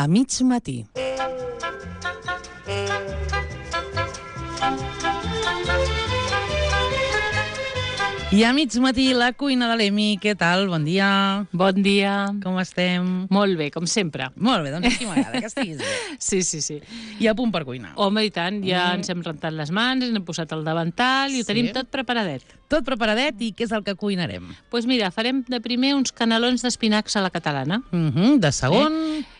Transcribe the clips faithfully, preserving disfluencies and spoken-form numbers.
a mig matí. I a mig matí, la cuina de l'Emi. Què tal? Bon dia. Bon dia. Com estem? Molt bé, com sempre. Molt bé, doncs aquí m'agrada, que estiguis bé. Sí, sí, sí. I a punt per cuinar. Home, i tant, ja Mm. ens hem rentat les mans, ens hem posat el davantal i ho Sí. tenim tot preparadet. Tot preparadet, i què és el que cuinarem? Doncs pues mira, farem de primer uns canelons d'espinacs a la catalana. Uh -huh, de segon...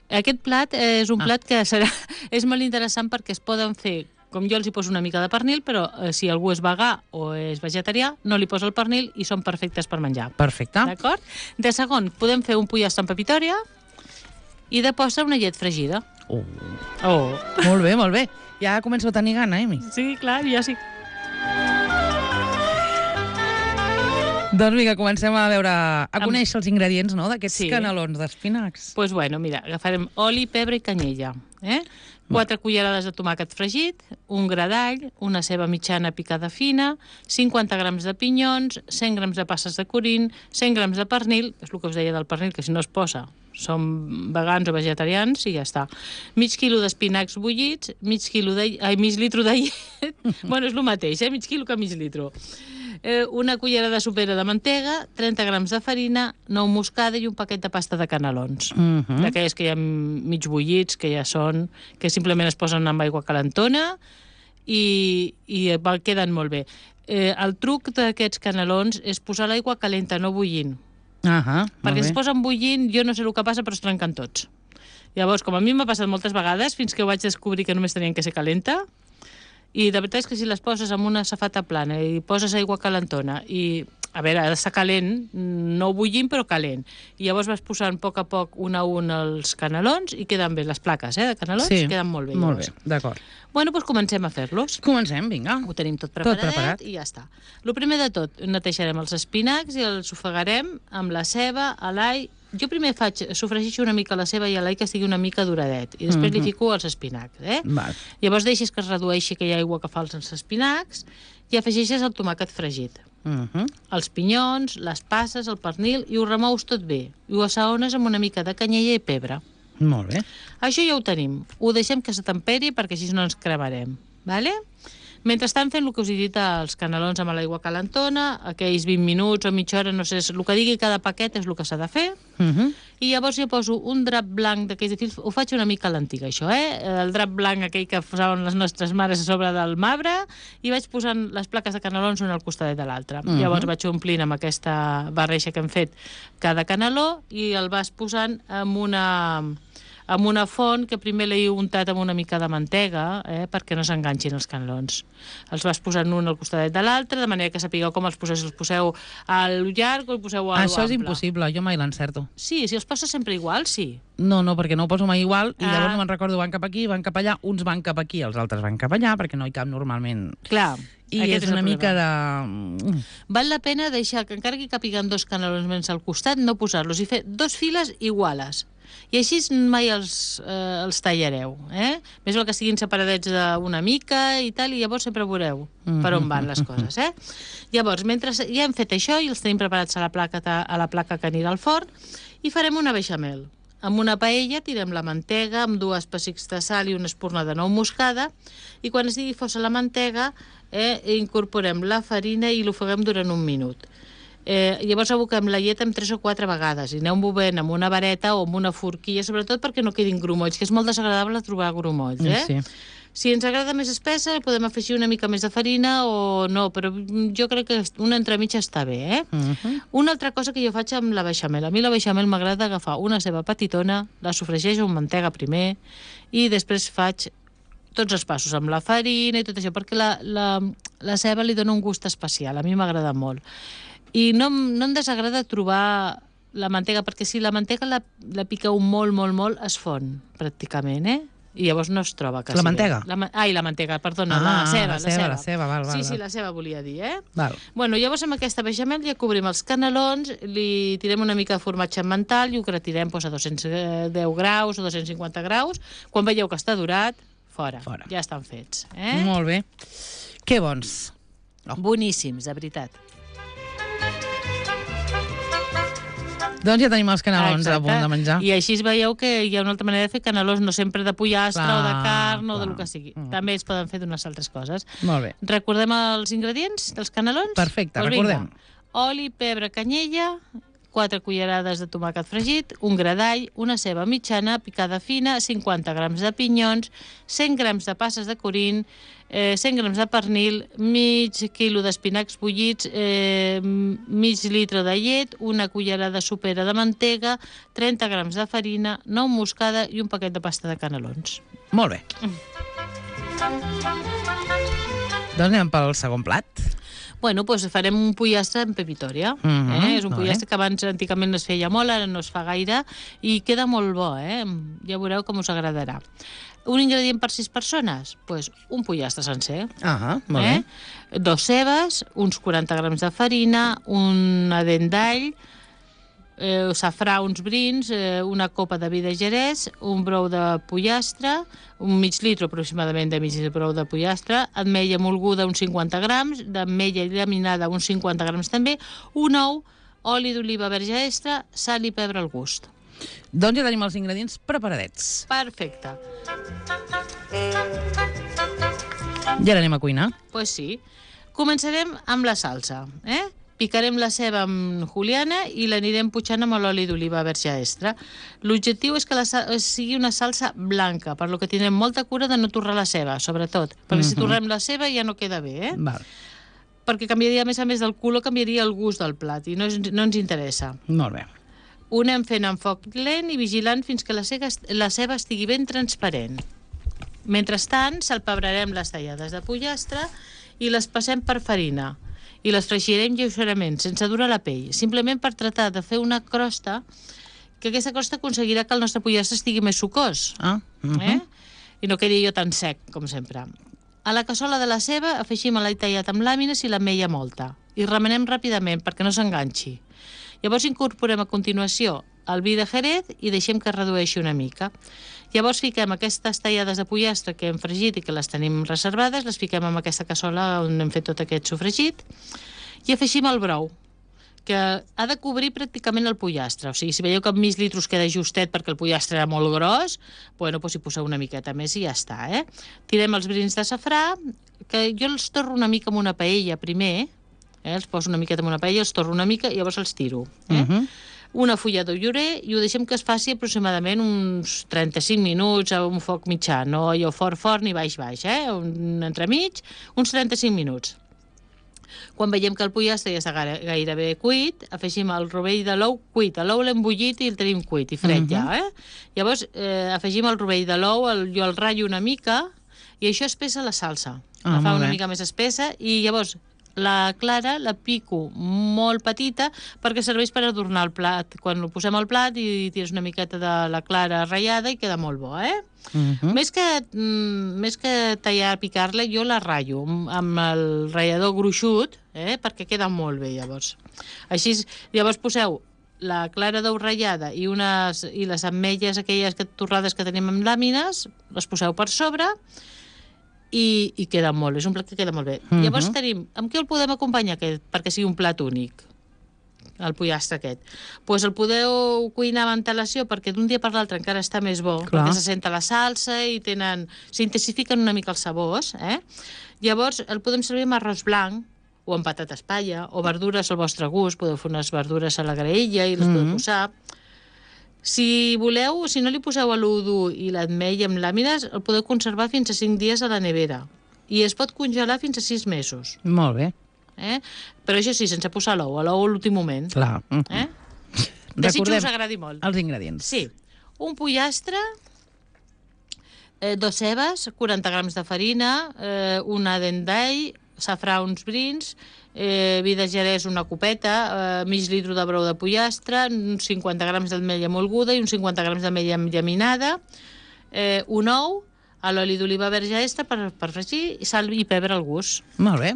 Eh? Aquest plat és un Ah. plat que serà, és molt interessant perquè es poden fer, com jo els hi poso una mica de pernil, però eh, si algú és vegà o és vegetarià, no li posa el pernil i són perfectes per menjar. Perfecte. D'acord? De segon, podem fer un pollastre amb pepitòria i de postre una llet fregida. Oh. Oh. Molt bé, molt bé. Ja començo a tenir gana, Emi. Sí, clar, jo sí. Doncs vinga, comencem a veure, a Amb- conèixer els ingredients, no?, d'aquests Sí. canelons d'espinacs. Doncs pues bueno, mira, agafarem oli, pebre i canyella. Eh? Quatre cullerades de tomàquet fregit, un gra d'all, una ceba mitjana picada fina, cinquanta grams de pinyons, cent grams de passes de corín, cent grams de pernil, és el que us deia del pernil, que si no es posa som vegans o vegetarians i ja està. Mig quilo d'espinacs bullits, mig quilo de... Ai, mig litro de llet. Bueno, és el mateix, eh? Mig quilo que mig litro. Eh, una cullerada sopera de mantega, trenta grams de farina, nou moscada i un paquet de pasta de canelons. Uh -huh. D'aquelles que hi ha mig bullits, que ja són... que simplement es posen amb aigua calentona i, i va, queden molt bé. Eh, el truc d'aquests canelons és posar l'aigua calenta, no bullint. Uh -huh, Perquè si es posen bullint, jo no sé el que passa, però es trenquen tots. Llavors, com a mi m'ha passat moltes vegades, fins que ho vaig descobrir que només tenien que ser calenta, i de veritat és que si les poses amb una safata plana i poses aigua calentona i, a veure, ha d'estar calent, no bullint, però calent. I llavors vas posant a poc a poc un a un els canelons i queden bé les plaques, eh, de canelons, sí, queden molt bé. Molt bé, Llavors. d'acord. Bueno, doncs comencem a fer-los. Comencem, vinga. Ho tenim tot preparadet Tot preparat. i ja està. El primer de tot, netejarem els espinacs i els ofegarem amb la ceba, l'all. Jo primer faig, sofregeixo una mica la ceba i l'all que estigui una mica duradet i després Mhm. li fico els espinacs, eh? Val. Llavors deixes que es redueixi aquella aigua que fa els espinacs i afegeixes el tomàquet fregit, Uh -huh. els pinyons, les passes, el pernil i ho remous tot bé. I ho assaones amb una mica de canyella i pebre. Molt bé. Això ja ho tenim. Ho deixem que se temperi perquè així no ens cremarem. Vale? Mentrestant fent el que us he dit, els canelons amb l'aigua calentona, aquells vint minuts o mitja hora, no sé, el que digui cada paquet és el que s'ha de fer. Uh -huh. I llavors jo poso un drap blanc d'aquells de fils, ho faig una mica a l'antiga, això, eh? El drap blanc aquell que posaven les nostres mares a sobre del marbre, i vaig posant les plaques de canelons una al costat de l'altra. Mhm. Llavors vaig omplint amb aquesta barreja que hem fet cada caneló i el vas posant amb una... amb una font que primer l'he untat amb una mica de mantega, eh, perquè no s'enganxin els canelons. Els vas posant un al costat de l'altre, de manera que sapigueu com els poseu, si els poseu al llarg o els poseu a Això és ample. impossible, jo mai l'encerto. Sí, si els poses sempre igual, sí. No, no, perquè no ho poso mai igual, i Ah. llavors no me'n recordo, van cap aquí, van cap allà, uns van cap aquí, els altres van cap allà, perquè no hi cap normalment. Clar, I aquest és el una mica problema. de... Val la pena deixar que encara que capiguen dos canelons més al costat, no posar-los i fer dos files iguales. I així mai els, eh, els tallareu. Eh? Més val que estiguin separadets d'una mica i tal, i llavors sempre veureu per on van les coses. Eh? Llavors, mentre ja hem fet això i els tenim preparats a la placa, a la placa que anirà al forn, i farem una beixamel. Amb una paella tirem la mantega amb dues pessics de sal i una espurna de nou moscada, i quan estigui fosa la mantega eh, incorporem la farina i l'ofeguem durant un minut. Eh, llavors aboquem la llet amb tres o quatre vegades i aneu movent amb una vareta o amb una forquilla, sobretot perquè no quedin grumolls, que és molt desagradable trobar grumolls. Eh? Sí. Si ens agrada més espessa, podem afegir una mica més de farina o no, però jo crec que una entremitja està bé. Eh? Uh -huh. Una altra cosa que jo faig amb la beixamel. A mi la beixamel m'agrada agafar una ceba petitona, la sofregeixo amb mantega primer i després faig tots els passos amb la farina i tot això, perquè la, la, la ceba li dona un gust especial. A mi m'agrada molt. I no, no em desagrada trobar la mantega, perquè si la mantega la, la piqueu molt, molt, molt, es fon, pràcticament, eh? I llavors no es troba quasi La mantega? bé. La, ai, la mantega, perdona, Ah, la ceba. la ceba, la ceba, val, val, Sí, sí, val. la ceba volia dir, eh? Val. Bueno, llavors amb aquesta beixamel ja cobrim els canelons, li tirem una mica de formatge emmental i ho gratirem doncs, a dos-cents deu graus o dos-cents cinquanta graus. Quan veieu que està durat, fora. Fora. Ja estan fets. Eh? Molt bé. Que bons. Oh. Boníssims, de veritat. Doncs ja tenim els canelons Exacte. a punt de menjar. I així veieu que hi ha una altra manera de fer canelons, no sempre de pollastre Clar, o de carn o clar. del que sigui. Mm. També es poden fer d'unes altres coses. Molt bé. Recordem els ingredients dels canelons? Perfecte, Doncs recordem. Vinga. Oli, pebre, canyella, quatre cullerades de tomàquet fregit, un gra d'all, una ceba mitjana picada fina, cinquanta grams de pinyons, cent grams de passes de corín, eh, cent grams de pernil, mig quilo d'espinacs bullits, eh, mig litre de llet, una cullerada sopera de mantega, trenta grams de farina, nou moscada i un paquet de pasta de canelons. Molt bé. Doncs anem pel segon plat. Bueno, doncs farem un pollastre en pepitòria. Mhm, eh? És un molt pollastre que abans antigament es feia molt, ara no es fa gaire, i queda molt bo, eh? Ja veureu com us agradarà. Un ingredient per sis persones? Doncs pues un pollastre sencer. Ah, molt eh? bé. Dos cebes, uns quaranta grams de farina, una dent d'all, eh, safrà, uns brins, eh, una copa de vi de jerès, un brou de pollastre, un mig litre aproximadament de mig brou de pollastre, ametlla molguda uns cinquanta grams, d'ametlla llaminada uns cinquanta grams també, un ou, oli d'oliva verge extra, sal i pebre al gust. Doncs ja tenim els ingredients preparadets. Perfecte. I ara anem a cuinar. Doncs pues sí. Començarem amb la salsa, eh? Picarem la ceba amb juliana i l'anirem putxant amb l'oli d'oliva verge extra. L'objectiu és que la sigui una salsa blanca, per lo que tindrem molta cura de no torrar la ceba, sobretot. Perquè si torrem la ceba ja no queda bé, eh? Val. Perquè canviaria, a més a més del color, canviaria el gust del plat i no, és, no ens interessa. Molt bé. Ho anem fent amb foc lent i vigilant fins que la ceba, la ceba estigui ben transparent. Mentrestant, salpebrarem les tallades de pollastre i les passem per farina. I les fregirem lleugerament, sense durar la pell, simplement per tractar de fer una crosta, que aquesta crosta aconseguirà que el nostre pollastre estigui més sucós, Ah, uh-huh. eh? I no quedi jo tan sec, com sempre. A la cassola de la ceba afegim l'all tallat amb làmines i l'ametlla molta, i remenem ràpidament perquè no s'enganxi. Llavors incorporem a continuació el vi de Jerez i deixem que es redueixi una mica. Llavors fiquem aquestes tallades de pollastre que hem fregit i que les tenim reservades, les fiquem en aquesta cassola on hem fet tot aquest sofregit i afegim el brou, que ha de cobrir pràcticament el pollastre. O sigui, si veieu que amb mig litre us queda justet perquè el pollastre era molt gros, bueno, doncs hi poseu una miqueta més i ja està, eh? Tirem els brins de safrà, que jo els torro una mica amb una paella primer, eh? Els poso una miqueta en una paella, els torro una mica i llavors els tiro, eh? Uh-huh. Una fulla de llorer i ho deixem que es faci aproximadament uns trenta-cinc minuts a un foc mitjà, no allò fort fort ni baix baix, eh? Un entremig, uns trenta-cinc minuts. Quan veiem que el pollastre ja està gairebé cuit, afegim el rovell de l'ou cuit. L'ou l'hem bullit i el tenim cuit i fred uh-huh. ja, eh? Llavors eh, afegim el rovell de l'ou, el, jo el ratllo una mica i això espessa la salsa. Ah, la fa una bé. mica més espessa i llavors la clara la pico molt petita perquè serveix per adornar el plat. Quan ho posem al plat i tires una miqueta de la clara ratllada i queda molt bo, eh? Uh-huh. Més que, mm, més que tallar, picar-la, jo la ratllo amb el ratllador gruixut, eh? Perquè queda molt bé, llavors. Així, llavors poseu la clara d'ou ratllada i, unes, i les ametlles aquelles que, torrades que tenim amb làmines, les poseu per sobre i, i queda molt, és un plat que queda molt bé. Uh-huh. Llavors tenim, amb què el podem acompanyar aquest, perquè sigui un plat únic, el pollastre aquest? Doncs pues el podeu cuinar amb antelació perquè d'un dia per l'altre encara està més bo, Clar. perquè se senta la salsa i tenen, s'intensifiquen una mica els sabors, eh? Llavors el podem servir amb arròs blanc o amb patates palla o verdures al vostre gust, podeu fer unes verdures a la graella i les Mhm. podeu posar. Si voleu, si no li poseu l'ou dur i l'ametlla amb làmines, el podeu conservar fins a cinc dies a la nevera. I es pot congelar fins a sis mesos. Molt bé. Eh? Però això sí, sense posar l'ou, l'ou a l'últim moment. Clar. Uh-huh. Eh? Desitjo Recordem us agradi molt. els ingredients. Sí, un pollastre, eh, dos cebes, quaranta grams de farina, eh, una dent d'all, safrà uns brins, eh, vi de jerès una copeta, eh, mig litre de brou de pollastre, uns cinquanta grams d'ametlla molguda i uns cinquanta grams d'ametlla llaminada, eh, un ou, a l'oli d'oliva verge extra per, per fregir, sal i pebre al gust. Molt bé.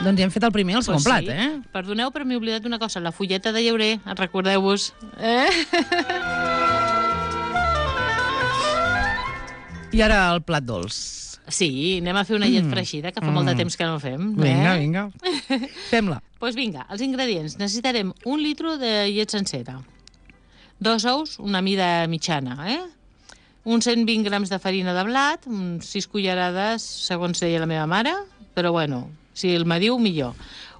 Doncs ja hem fet el primer i el segon Pues plat, sí. eh? Perdoneu, però m'he oblidat una cosa, la fulleta de llaurer, recordeu-vos. Eh? I ara el plat dolç. Sí, anem a fer una llet Mm. freixida, que fa molt de temps que no ho fem. Vinga, eh? vinga. Fem-la. Doncs pues vinga, els ingredients. Necessitarem un litro de llet sencera, dos ous, una mida mitjana, eh? uns cent vint grams de farina de blat, uns sis cullerades, segons deia la meva mare, però bueno, si el mediu, millor.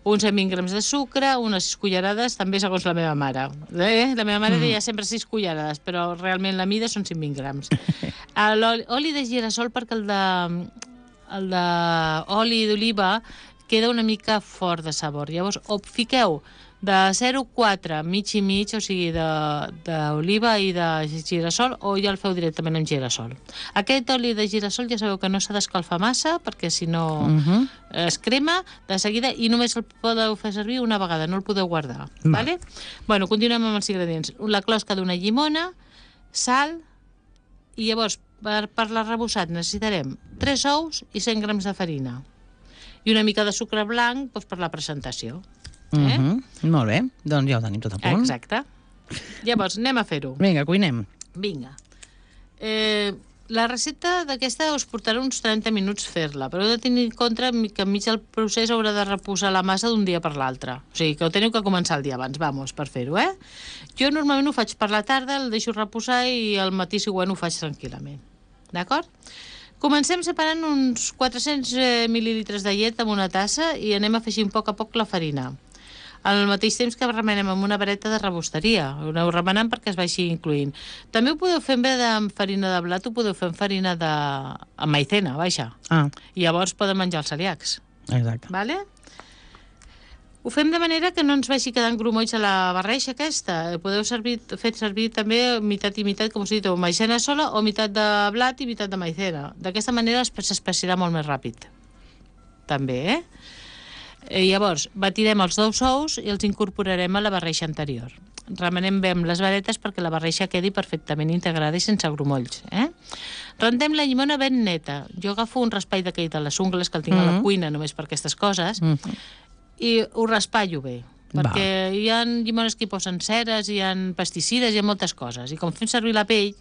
Uns cent vint grams de sucre, unes sis cullerades, també segons la meva mare. Eh? La meva mare mm. deia sempre sis cullerades, però realment la mida són cent vint grams. L'oli de girassol, perquè el de, el de oli d'oliva queda una mica fort de sabor. Llavors, o fiqueu de zero coma quatre, mig i mig, o sigui, d'oliva i de girassol, o ja el feu directament amb girassol. Aquest oli de girassol ja sabeu que no s'ha d'escalfar massa, perquè si no uh -huh. es crema de seguida, i només el podeu fer servir una vegada, no el podeu guardar. Va. Vale? Bueno, continuem amb els ingredients. La closca d'una llimona, sal, i llavors, per, per l'arrebossat necessitarem tres ous i cent grams de farina. I una mica de sucre blanc doncs, per la presentació. Eh? Uh -huh. Molt bé, doncs ja ho tenim tot a punt. Exacte. Llavors, anem a fer-ho. Vinga, cuinem. Vinga. Eh, la recepta d'aquesta us portarà uns trenta minuts fer-la, però heu de tenir en compte que enmig del procés haurà de reposar la massa d'un dia per l'altre. O sigui, que ho teniu que començar el dia abans, vamos, per fer-ho, eh? Jo normalment ho faig per la tarda, el deixo reposar i al matí següent ho faig tranquil·lament. D'acord? Comencem separant uns quatre-cents mil·lilitres de llet en una tassa i anem afegint a poc a poc la farina. Al mateix temps que remenem amb una vareta de rebosteria. Ho aneu remenant perquè es vagi incluint. També ho podeu fer en vez de farina de blat, ho podeu fer amb farina de... amb maicena, vaja. Ah. I llavors poden menjar els celíacs. Exacte. Vale? Ho fem de manera que no ens vagi quedant grumolls a la barreja aquesta. Podeu servir, fer servir també mitat i mitat, com us he dit, o maicena sola o mitat de blat i mitat de maicena. D'aquesta manera s'espessirà molt més ràpid. També, eh? I llavors, batirem els dos ous i els incorporarem a la barreja anterior. Remenem bé amb les varetes perquè la barreja quedi perfectament integrada i sense grumolls. Eh? Rendem la llimona ben neta. Jo agafo un raspall d'aquell de les ungles que el tinc mm -hmm. a la cuina només per aquestes coses mm -hmm. i ho raspallo bé. Perquè Va. hi ha llimones que hi posen ceres, hi ha pesticides, hi ha moltes coses. I com fem servir la pell,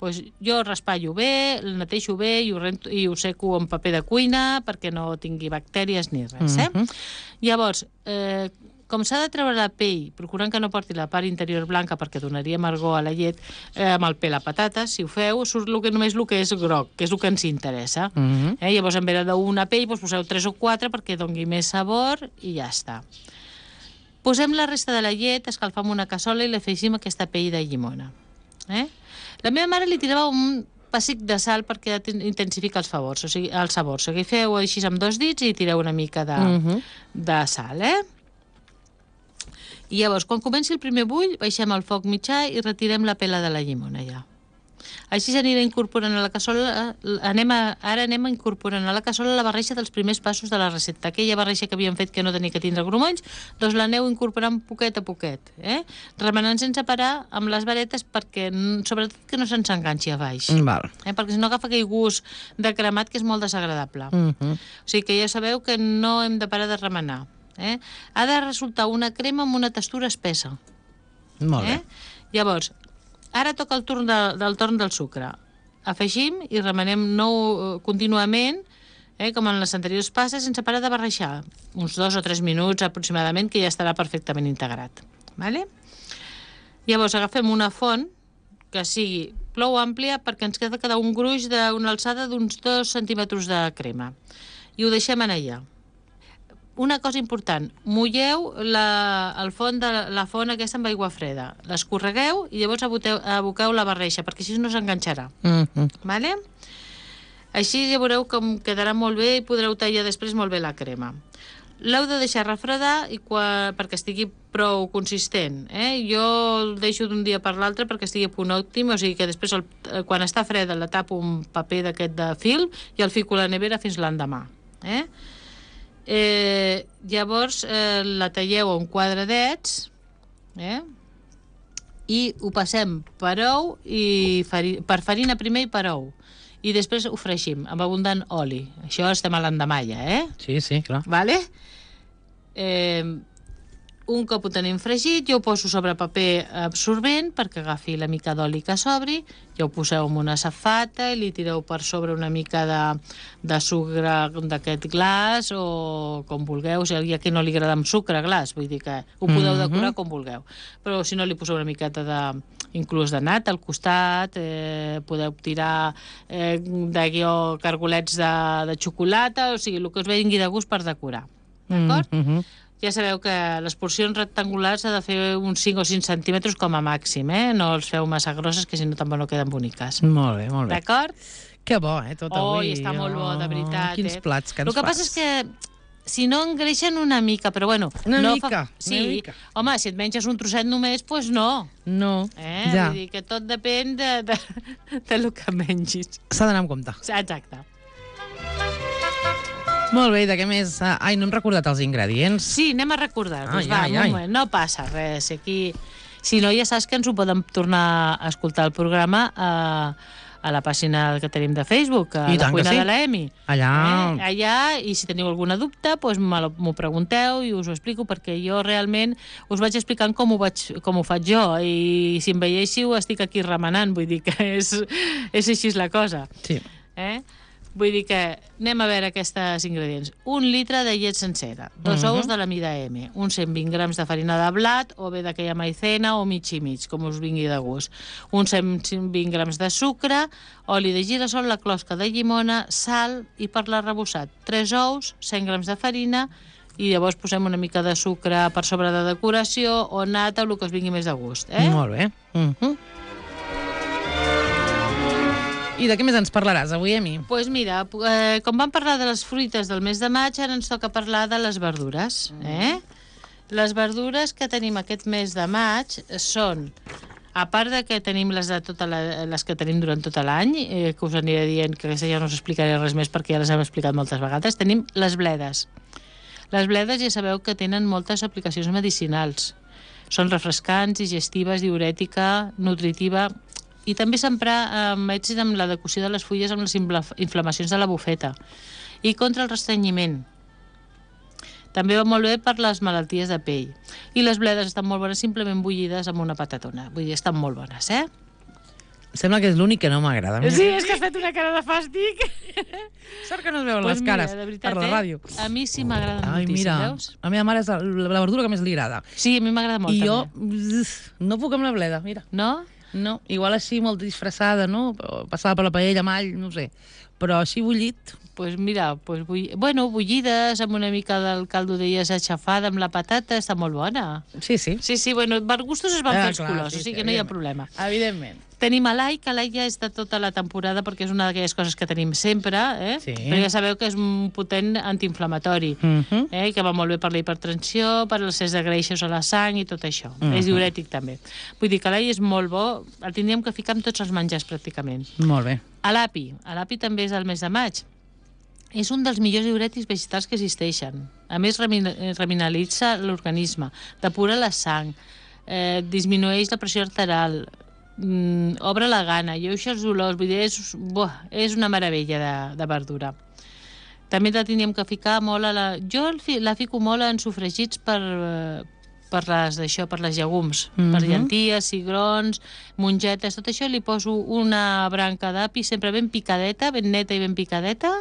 doncs jo raspallo bé, el neteixo bé i ho, rento, i ho seco amb paper de cuina perquè no tingui bactèries ni res. Eh? Mm-hmm. Llavors, eh, com s'ha de treure la pell, procurant que no porti la part interior blanca perquè donaria amargor a la llet, eh, amb el pèl a patates, si ho feu, surt el que, només el que és groc, que és el que ens interessa. Mm-hmm. eh? Llavors, en vez d'una pell, doncs poseu tres o quatre perquè doni més sabor i ja està. Posem la resta de la llet, escalfam una cassola i l'afegim aquesta pell de llimona. Eh? La meva mare li tirava un pessic de sal perquè intensifica els sabors, o sigui, els sabors. O sigui, feu així amb dos dits i tireu una mica de, uh-huh. de sal, eh? I llavors, quan comenci el primer bull, baixem el foc mitjà i retirem la pela de la llimona ja. Així s'anirà incorporant a la cassola, anem a, ara anem incorporant a la cassola la barreja dels primers passos de la recepta. Aquella barreja que havíem fet que no tenia que tindre grumolls, doncs l'aneu incorporant poquet a poquet, eh? Remenant sense parar amb les varetes perquè, sobretot, que no se'ns enganxi a baix. Val. Eh? Perquè si no agafa aquell gust de cremat que és molt desagradable. Uh-huh. O sigui que ja sabeu que no hem de parar de remenar. Eh? Ha de resultar una crema amb una textura espessa. Molt bé. Eh? Llavors, ara toca el torn de, del torn del sucre. Afegim i remenem nou contínuament, eh, com en les anteriors passes, sense parar de barrejar. Uns dos o tres minuts aproximadament, que ja estarà perfectament integrat. Vale? Llavors agafem una font que sigui prou àmplia perquè ens queda quedar un gruix d'una alçada d'uns dos centímetres de crema. I ho deixem en allà. Una cosa important, mulleu la, el font de la font aquesta amb aigua freda. L'escorregueu i llavors aboteu, aboqueu la barreja, perquè així no s'enganxarà. Mm-hmm. Vale? Així ja veureu com quedarà molt bé i podreu tallar després molt bé la crema. L'heu de deixar refredar i quan, perquè estigui prou consistent. Eh? Jo el deixo d'un dia per l'altre perquè estigui a punt òptim, o sigui que després, el, quan està freda, la tapo un paper d'aquest de film i el fico a la nevera fins l'endemà. Eh? Eh, llavors eh, la talleu en quadradets, eh? I ho passem per ou i fari, per farina primer i per ou, i després ho fregim amb abundant oli. Això estem a l'endemà ja, eh? Sí, sí, clar. Vale? Eh, un cop ho tenim fregit, jo ho poso sobre paper absorbent perquè agafi la mica d'oli que sobri, ja ho poseu en una safata i li tireu per sobre una mica de, de sucre d'aquest glaç o com vulgueu, si hi ha qui no li agrada amb sucre glaç, vull dir que ho podeu decorar com vulgueu. Però si no li poseu una miqueta de, inclús de nata al costat, eh, podeu tirar eh, d'aquí o cargolets de, de xocolata, o sigui, el que us vingui de gust per decorar. D'acord? Mm -hmm. Ja sabeu que les porcions rectangulars s'ha de fer uns cinc o cinc centímetres com a màxim, eh? No els feu massa grosses, que si no tampoc no queden boniques. Molt bé, molt bé. D'acord? Que bo, eh, tot avui. Oh, està molt bo, de veritat. Quins eh? plats que ens El que fas. passa és que si no engreixen una mica, però bueno... Una no mica, fa... sí. una mica. Home, si et menges un trosset només, doncs pues no. No, Eh? ja. Vull dir que tot depèn de, de, de lo que mengis. S'ha d'anar amb compte. Exacte. Molt bé, i de què més? Ah, ai, no hem recordat els ingredients. Sí, anem a recordar-vos. Ai, Va, ai, un ai. moment, no passa res. Aquí... Si no, ja saps que ens ho poden tornar a escoltar el programa a, a la pàgina que tenim de Facebook, a I la tant que cuina sí. de l'Emi. Allà... Eh? Allà, i si teniu alguna dubte, doncs m'ho pregunteu i us ho explico, perquè jo realment us vaig explicant com ho, vaig, com ho faig jo, i si em veiéssiu estic aquí remenant, vull dir que és, és així la cosa. Sí. Eh? Vull dir que anem a veure aquests ingredients. Un litre de llet sencera, dos Mhm. ous de la mida M, uns cent vint grams de farina de blat o bé d'aquella maicena o mig i mig, com us vingui de gust. Uns cent vint grams de sucre, oli de girassol, la closca de llimona, sal i per l'arrebossat, tres ous, cent grams de farina i llavors posem una mica de sucre per sobre de decoració o nata o el que us vingui més de gust. Eh? Molt bé. Uh -huh. I de què més ens parlaràs avui, Emi? Doncs pues mira, eh, com vam parlar de les fruites del mes de maig, ara ens toca parlar de les verdures. Eh? Les verdures que tenim aquest mes de maig són, a part de que tenim les, de tota la, les que tenim durant tot l'any, eh, que us aniré dient que ja no us explicaré res més perquè ja les hem explicat moltes vegades, tenim les bledes. Les bledes ja sabeu que tenen moltes aplicacions medicinals. Són refrescants, digestives, diurètica, nutritiva, i també s'empra amb èxit amb la decocció de les fulles amb les inflamacions de la bufeta i contra el restrenyiment. També va molt bé per les malalties de pell. I les bledes estan molt bones simplement bullides amb una patatona. Vull dir, estan molt bones, eh? Sembla que és l'únic que no m'agrada. Sí, és que has fet una cara de fàstic. Sort que no es veuen Pues les mira, cares de veritat, per la eh? ràdio. A mi sí m'agrada Ai, moltíssim, mira, veus? a la meva mare és la, la verdura que més li agrada. Sí, a mi m'agrada molt, I jo també. uf, no puc amb la bleda, mira. No? No, igual així molt disfressada, no? Passada per la paella amb all, no sé. Però així bullit... Pues mira, pues bull... bueno, bullides amb una mica del caldo d'elles aixafada amb la patata, està molt bona. Sí, sí. Sí, sí, bueno, per gustos es van Ah, fer els clar, colors, sí, o sigui sí, que no hi ha evidentment. problema. Evidentment. Tenim a l'all, que l'all ja és de tota la temporada perquè és una d'aquelles coses que tenim sempre, eh? Sí. Però ja sabeu que és un potent antiinflamatori, Uh -huh. eh? Que va molt bé per la hipertensió, per l'excés de greixos a la sang i tot això. Mhm. És diurètic també. Vull dir que l'all és molt bo, el tindríem que ficar amb tots els menjars pràcticament. Molt bé. A l'api, a l'api també és el mes de maig. És un dels millors diurètics vegetals que existeixen. A més, remineralitza l'organisme, depura la sang, eh, disminueix la pressió arterial, mm, obre la gana, lleuixa els dolors, vull dir, és, buah, és una meravella de, de verdura. També la tindríem que ficar molt a la... Jo la fico molt en sofregits per, per les d'això, per les llegums, mm -hmm. per llenties, cigrons, mongetes, tot això li poso una branca d'api sempre ben picadeta, ben neta i ben picadeta,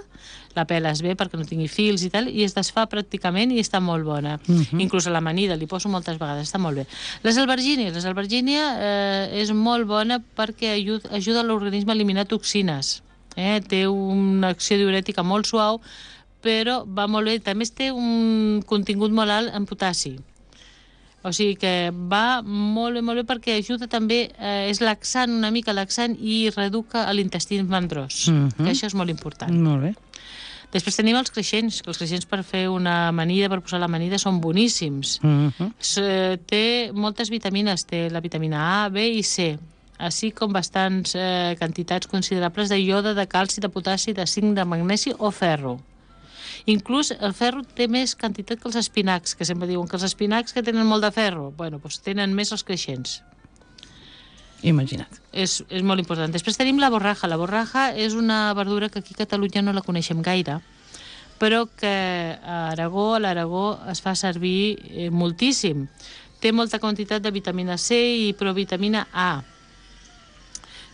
la peles bé perquè no tingui fils i tal, i es desfà pràcticament i està molt bona. Mm -hmm. Inclús a l'amanida li poso moltes vegades, està molt bé. Les albergínies, les albergínia eh, és molt bona perquè ajuda, ajuda l'organisme a eliminar toxines. Eh? Té una acció diurètica molt suau, però va molt bé. També té un contingut molt alt en potassi. O sigui que va molt bé, molt bé perquè ajuda també, eh, és laxant, una mica laxant, i reduca l'intestí mandrós, Mhm. que això és molt important. Molt bé. Després tenim els creixents, que els creixents per fer una amanida, per posar l'amanida, són boníssims. Uh -huh. S- Té moltes vitamines, té la vitamina A, B i C, així com bastants eh, quantitats considerables de iode, de calci, de potassi, de zinc, de magnesi o ferro. Inclús el ferro té més quantitat que els espinacs, que sempre diuen que els espinacs que tenen molt de ferro, bueno, doncs tenen més els creixents. Imagina't. És, és molt important. Després tenim la borraja. La borraja és una verdura que aquí a Catalunya no la coneixem gaire, però que a Aragó, a l'Aragó, es fa servir eh, moltíssim. Té molta quantitat de vitamina C i provitamina A.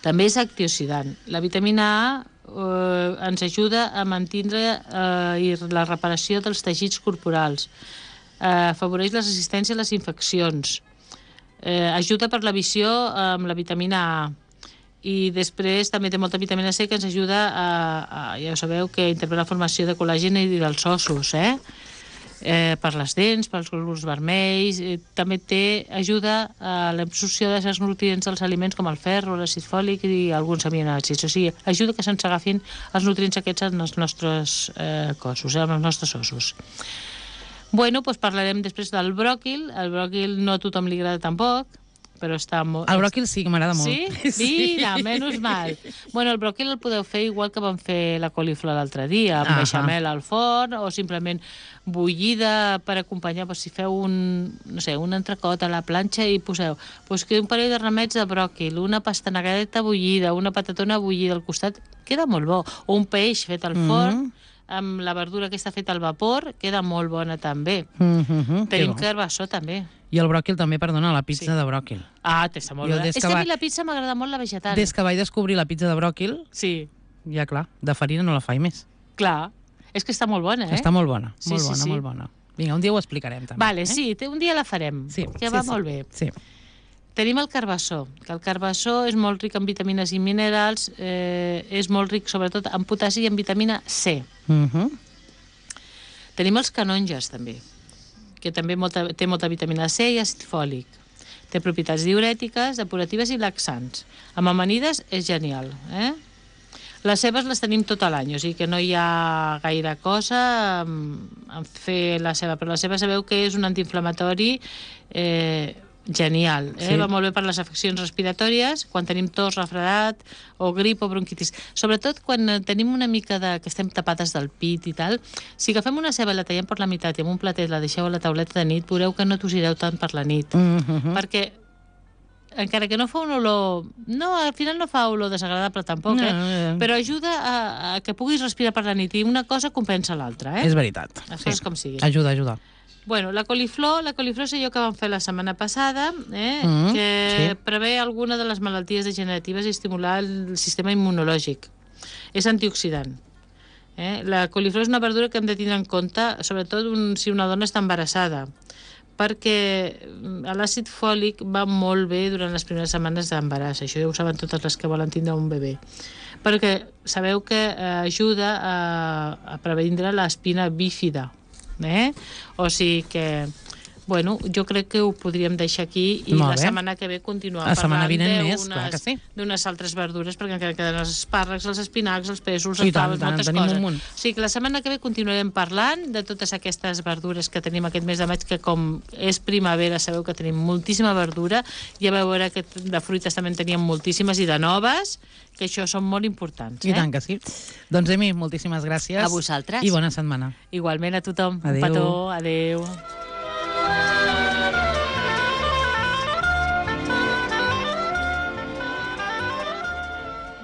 També és antioxidant. La vitamina A eh, ens ajuda a mantenir eh, la reparació dels teixits corporals, eh, afavoreix la resistència a les infeccions, eh, ajuda per la visió amb la vitamina A, i després també té molta vitamina C que ens ajuda a, a ja ho sabeu, que intervé la formació de col·làgen i dels ossos, eh? Eh, per les dents, pels glòbuls vermells, eh, també té ajuda a l'absorció de certs nutrients dels aliments com el ferro, l'àcid fòlic i alguns aminoàcids. O sigui, ajuda que se'ns agafin els nutrients aquests en els nostres eh, cossos, eh, en els nostres ossos. Bueno, doncs parlarem després del bròquil. El bròquil no a tothom li agrada tampoc, però està molt... El bròquil sí que m'agrada molt. Sí? Mira, menys mal. Bueno, el bròquil el podeu fer igual que vam fer la coliflor l'altre dia, amb Ahà. beixamel al forn, o simplement bullida per acompanyar, doncs, si feu un, no sé, un entrecot a la planxa i poseu doncs, un parell de ramets de bròquil, una pastanegadeta bullida, una patatona bullida al costat, queda molt bo. O un peix fet al forn, Mm. amb la verdura que està feta al vapor, queda molt bona també. Mm -hmm, Tenim carbassó també. I el bròquil també, perdona, la pizza Sí. de bròquil. Ah, està molt Jo bona. des És que que a va- mi la pizza m'agrada molt la vegetal. Des que vaig descobrir la pizza de bròquil, Sí, ja clar, de farina no la faig més. clar. És que està molt bona, eh? Està molt bona, Sí, molt sí, bona, sí. molt bona. Vinga, un dia ho explicarem també. Vale, eh? sí, té- un dia la farem, Sí, que sí, va sí. molt bé. Sí. Tenim el carbassó, que el carbassó és molt ric en vitamines i minerals, eh, és molt ric sobretot en potassi i en vitamina C. Mm -hmm. Tenim els canonges, també, que també molta, té molta vitamina C i àcid fòlic. Té propietats diurètiques, depuratives i laxants. Amb amanides és genial, eh? Les cebes les tenim tot l'any, o sigui que no hi ha gaire cosa en, en fer la ceba, però la ceba sabeu que és un antiinflamatori eh, genial, eh? Sí. Va molt bé per les afeccions respiratòries, quan tenim tos, refredat, o grip o bronquitis. Sobretot quan eh, tenim una mica de... que estem tapades del pit i tal, si agafem una ceba i la tallem per la meitat i amb un platet la deixeu a la tauleta de nit, veureu que no tossireu tant per la nit. Mm -hmm. Perquè encara que no fa una olor... No, al final no fa olor desagradable tampoc, No, eh? no, no. Però ajuda a, a que puguis respirar per la nit i una cosa compensa l'altra, eh? És veritat. Les coses com siguin. Ajuda, ajuda. Bueno, la coliflor, la coliflor és allò que vam fer la setmana passada, eh? Mm, que sí. prevé alguna de les malalties degeneratives i estimular el sistema immunològic. És antioxidant. Eh? La coliflor és una verdura que hem de tindre en compte, sobretot un, si una dona està embarassada, perquè l'àcid fòlic va molt bé durant les primeres setmanes d'embaràs. Això ja ho saben totes les que volen tindre un bebè. Perquè sabeu que eh, ajuda a, a previndre l'espina bífida. Eh? O sigui que, bueno, jo crec que ho podríem deixar aquí i Molt la bé. setmana que ve continuar La setmana parlant vinent més, clar que d'unes sí. d'unes altres verdures, perquè encara queden els espàrrecs, els espinacs, els pèsols, I els tant, faves, tant, en moltes tenim coses. un munt. O sigui que la setmana que ve continuarem parlant de totes aquestes verdures que tenim aquest mes de maig, que com és primavera sabeu que tenim moltíssima verdura, ja veu veure que de fruites també en teníem moltíssimes i de noves, que això són molt importants. I Eh? tant que sí. Doncs, Emi, moltíssimes gràcies. A vosaltres. I bona setmana. Igualment a tothom. Adéu. Un petó. Adéu.